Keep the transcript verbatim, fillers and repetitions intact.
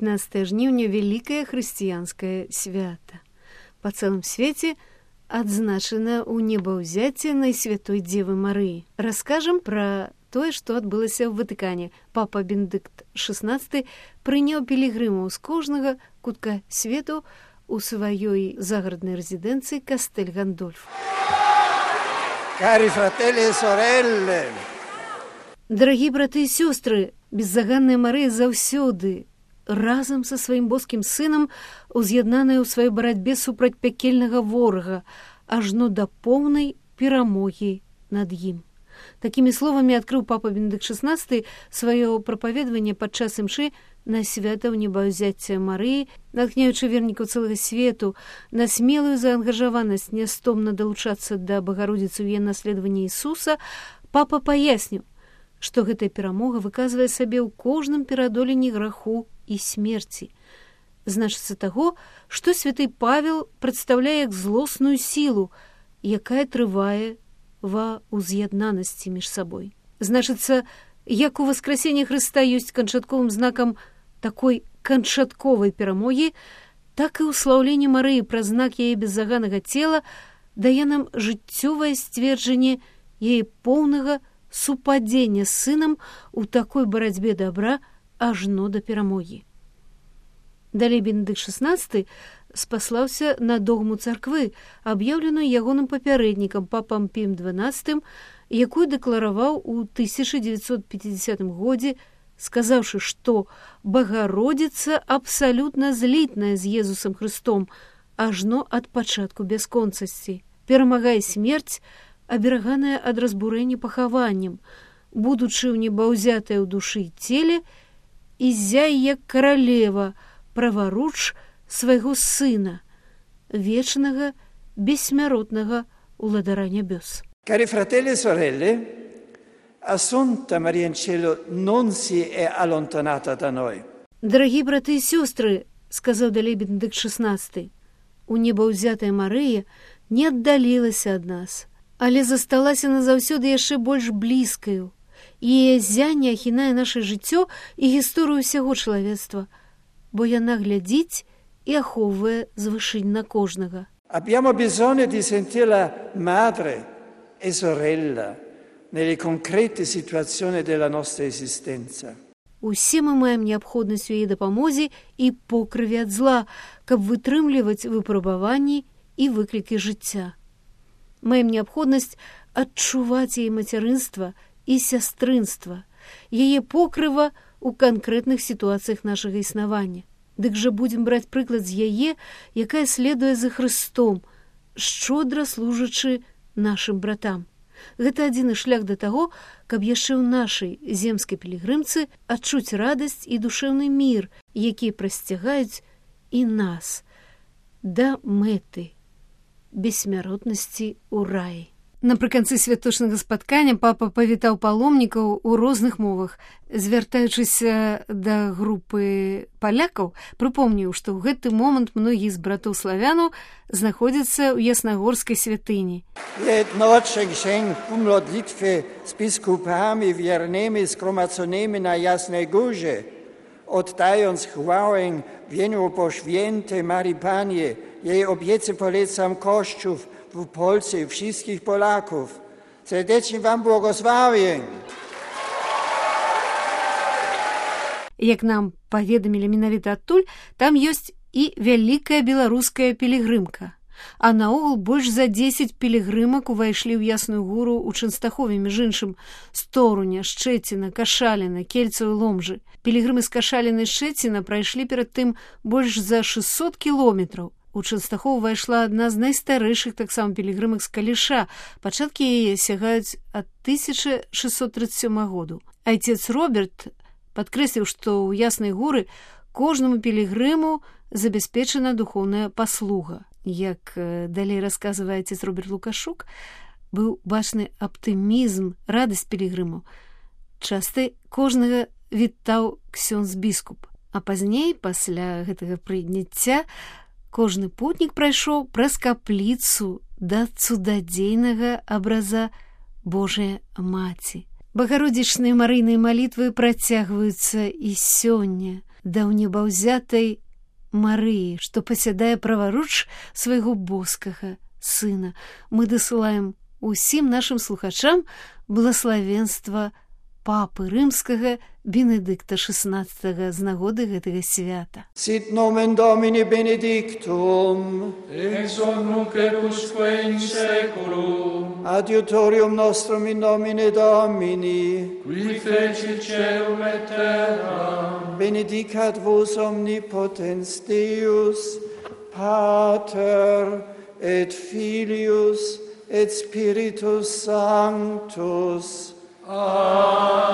пятнадцатое жніўня вялікае хрысціянскае свята. Па цэлым свеце адзначана ў небаўзяцце Найсвятой Дзевы Марыі. Раскажам пра тое, што адбылася ў Ватыкане. Папа Бенедыкт шаснаццаты прыняў пілігрымаў з кожнага кутка свету у сваёй загараднай рэзідэнцыі Кастэль Гандольф. Cari fratelli e sorelle! Дарагі браты і сёстры, беззаганная Марыя заўсёды разам са сваім боскім сынам уз'яднаная ў сваёй барацьбе супраць пякельнага ворага, ажно да поўнай перамогі над ім. Такімі словамі адкрыў папа Бенедыкт шаснаццаты сваё прапаведаванне падчас імшы на свята ў небаўзяцця Марыі, натхняючы вернікаў цэлага свету на смелую заангажаванасць нястомна далучацца да Багародзіцы ў яе наследаванні Ісуса, папа паясніў, што гэтая перамога выказвае сабе ў кожным пераадоленні граху і смерці. Значыцца таго, што святы Павел прадстаўляе як злосную сілу, якая трывае ва ўз'яднанасці між сабой. Значыцца, як у васкрасенні Хрыста ёсць канчатковым знакам такой канчатковай перамогі, так і ўслаўленне Марыі праз знак яе беззаганнага цела дае нам жыццёвае сцверджанне яе поўнага супадзення з сынам у такой барацьбе добра ажно да перамогі. Далей Бенедыкт шаснаццаты спаслаўся на догму царквы, аб'яўленую ягоным папярэднікам папам Піем дванаццатым, якую дэклараваў у тысяча дзевяцьсот пяцідзясятым годзе, сказаўшы, што Багародзіца абсалютна злітная з Езусам Хрыстом, ажно ад пачатку бясконцасці. Перамагае смерць, абераганая ад разбурэння пахаваннем, будучы ў небаўзятая ў душы і целе, і зяй як каралева, праваруч свайго сына, вечнага, бессмяротнага уладара нябёс. Cari fratelli e sorelle, Assunta Maria in cielo non si è allontanata da noi. Дарагі браты і сёстры, сказаў далей Бенедыкт шаснаццаты, у небаўзятая Марыя не аддалілася ад нас, але засталася назаўсёды яшчэ больш блізкаю. Яе зянне ахінае наша жыццё і гісторыю ўсяго чалавецтва, бо яна глядзіць і ахоўвае звышынь на кожнага. Abbiamo bisogno di sentirla madre e sorella nelle concrete situazioni della nostra esistenza. Усе мы маем неабходнасць у яе дапамозе і покрыве ад зла, каб вытрымліваць выпрабаванні і выклікі жыцця. Маем неабходнасць адчуваць яе мацярынства і сястрынства, яе покрыва ў канкрэтных сітуацыях нашага існавання. Дык жа будзем браць прыклад з яе, якая следуе за Хрыстом, шчодра служачы нашым братам. Гэта адзіны шлях да таго, каб яшчэ ў нашай земскай пілігрымцы адчуць радасць і душэўны мір, якія прасцягаюць і нас да мэты бессмяротнасці ў раі. Напрыканцы святочнага спаткання папа павітаў паломнікаў у розных мовах. Звяртаючыся да групы палякаў, прыпомніў, што ў гэты момант многія з братоў славянаў знаходзяцца ў яснагорскай святыні. Jednocze księg modlitwy z biskupami wiernymi zgromadzonymi na Jasnej Górze, oddając chwałę wieniu po świętej Marii Pannie, jej obiece polecam Kościół w Polsce i wszystkich Polaków. Serdecznie wam błogosławię. Як нам паведамілі менавіта адтуль, там ёсць і вялікая беларуская пілігрымка. А наогул больш за дзесяць пілігрымак увайшлі ў Ясную Гору ў Чэнстахове, між іншым з Торуня, Шчэціна, Кашаліна, Кельцаў і Ломжы. Пілігрымы з Кашаліны і Шчэціна прайшлі перад тым больш за шэсцьсот кіламетраў. У Чэнстахоў увайшла адна з найстарэйшых таксама пілігрымак з Каліша. Пачаткі яе сягаюць ад тысяча шэсцьсот трыццаць сёмага году. Айцец Роберт падкрэсліў, што ў Яснай Горы кожнаму пілігрыму забяспечана духоўная паслуга. Як далей расказвае айцец Роберт Лукашук, быў бачны аптымізм, радасць пілігрымаў. Часта кожнага вітаў ксёндз-біскуп. А пазней, пасля гэтага прыняцця, кожны путнік прайшоў праз капліцу да цудадзейнага абраза Божая Маці. Багародзічныя марыйныя малітвы працягваюцца і сёння. да ўнебаўзятай Марыі, што пасядае праваруч свайго боскага сына. Мы дасылаем усім нашым слухачам благаславенства папы рымскага Бенедыкта шестнадцатага з нагоды гэтага свята. Sit nomen Domini benedictum, ex hoc nunc et usque in saeculum, adiutorium nostrum in nomine Domini, qui fecit caelum et terram, benedicat vos omnipotens Deus, Pater et Filius et Spiritus Sanctus. Amen.